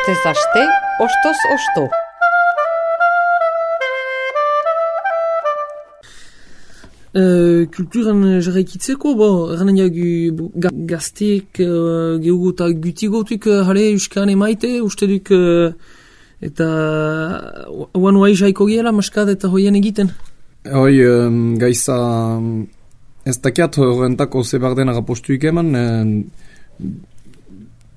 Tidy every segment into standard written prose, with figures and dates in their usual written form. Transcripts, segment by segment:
Astez aste, ostoz osto. Kulturan jarraikitzeko, erranen jagu gazteek gehugu eta gutigotuk jale Euskan emaite, uste duk eta oan oai jaiko gehala maskad eta hoien egiten. Hoi, gaiza ez dakiat horrentako zebarden agapostuik eman,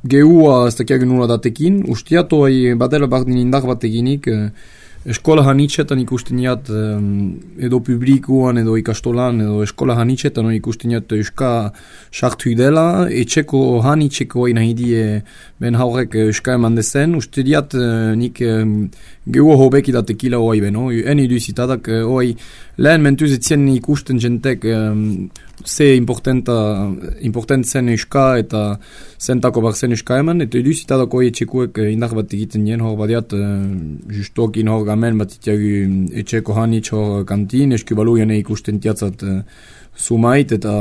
gehua ez dakiak nula datekin, ustiat hoi badela bardin indar bat eginik, eskola hanitxetan ikusteniat edo publikuan edo ikastolan edo eskola hanitxetan ikusteniat euska sartu dela, etxeko hanitxeko hain hidie ben haurek euska eman dezen, uste diat nik gehu hobeki datekila hoai beno, en iduzitadak hoai lehen mentuz etzien ikusten jentek ze important zen euska eta zentako bar zen euska eman, eta iduzitadak hoai etxekuek indar bat egiten nien, hor badiat justokin hor gamen bat itiagu etxeko hanitx hor kantin, eskubalu jane ikusten tiatzat sumait eta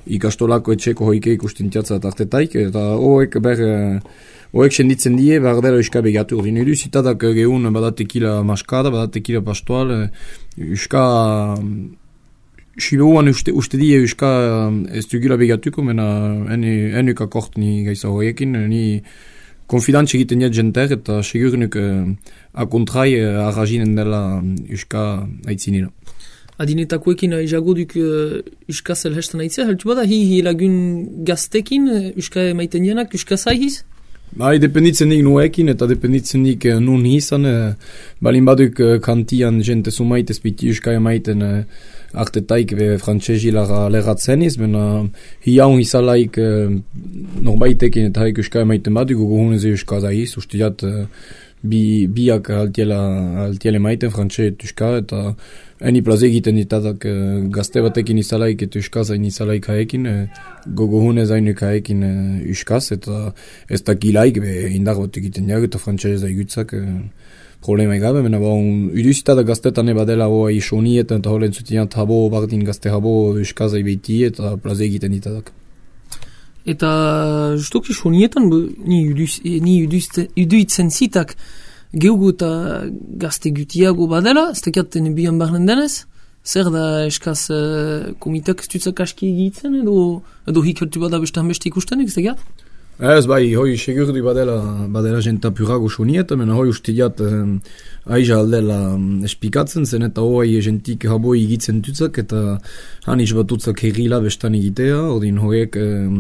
ikastolako etxeko hoike ikusten tiatzat artetaik, eta hoek senditzen die, bardera euska begatu. Ordin iduzitadak gehun badatekila maskada, badatekila pastoal, euska Siberuan uste die euska ez dugula begatuko, mena enuk akort ni gaisa horiekin, ni konfidantz egiten jat jenter eta segurnuk akontrai arrazinen dela euska aitzinera. Adinetakoekin aizago duk euska zelhestan aitzea, heltu bada hi lagun gaztekin euska maiten jenak, euska zaihiz? Bai, dependitzen nik nuekin eta dependitzen nik nun hizan, balin baduk kantian jente sumait ezpiti euska emaiten artetaik be frantsesi leratzen iz, bena hiaun hizalaik norbaitekin eta haik euska emaiten baduk, gugunez euska zaiz, ustiat biak altiele maiten frantses euska, eta eni plaze egiten ditadak gazte batekin izalaik eta euska zain izalaik haekin, gogohune zainuk haekin euskaz, eta ez dakilaik indar bat egiten jak eta frantses zaigutzak problema egabe, mena uduzitadak gaztetan badela hoa isonietan eta holen zutian habo bardin gazte habo euska zai behiti eta plaze egiten ditadak. Eta justok isonietan ni uduitzen zitak gehugu eta gazte gutiago badela, ez dakiaten bian barnen denez, zer da eskaz komitak ez dutzak aski egitzen edo hikertu bada beste ikustenek, ez dakiat? Ez bai, hoi segurdu badela jenta purago sonieta, mena hoi ustiat aiza aldela espikatzen zen, eta hoi jentik haboi egitzen dutzak, eta hanitz batutzak herrila bestan egitea, ordin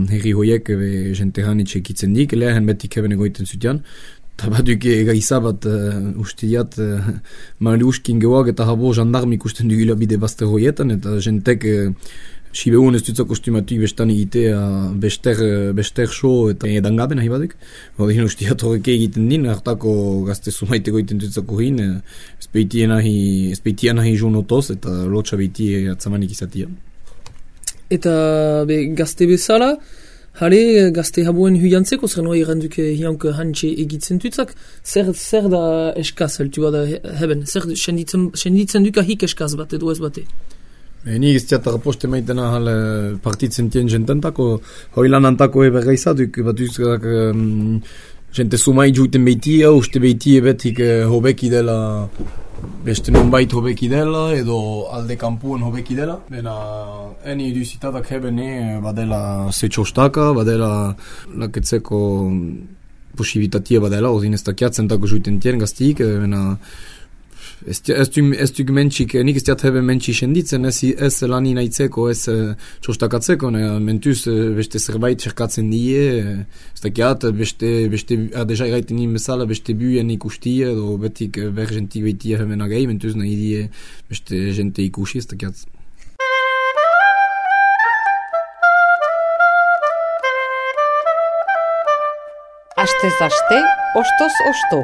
herri hoiek jente hanitz egitzen dik, lehen betik eben egoiten zutian, eta baduk egaiza bat ustiat mariuskin gehuak eta habo jandarmi ikusten dugila bide bazte hoietan, eta jentek Siberuan ez dutzak kostumatik bestan egitea bester so eta edangaben nahi baduk. Odin ustiat horrek egiten din, hartako gazte sumaiteko egiten dutzako hin, ezpeitia nahi jonotoz eta lotxa beiti atzamanik izatia. Eta gazte bezala, jale gazte haboen huiantzeko, zer noa iranduk hiank hantxe egitzen dutzak, zer da eskaz, heltu bada heben, zer senditzen duka hik eskaz bat edo ez bate? Ni iztiat raposte maitena partitzen tien jententako, hoi lanantako bergaizaduk, bat uzkak jente sumai juiten beitia, uste beitie betik hobeki dela, beste nonbait hobeki dela, edo alde kampuen hobeki dela. Bena, eni iduzitatak hebene badela zetxostaka, badela laketzeko posibitatia badela, ozin ez dakiatzen tako juiten tien gaztik, bena, ez duk mentxik, nik ez diat heben mentxik senditzen, ez lani nahitzeko, ez txostakatzeko, mentuz beste zerbait txerkatzen die, ez dakiat, beste deja eraiten nien bezala, beste buen ikustie, edo betik ber jentik behitia heben agei, mentuz nahi die beste jente ikusi, ez dakiat. Astez aste, ostoz osto.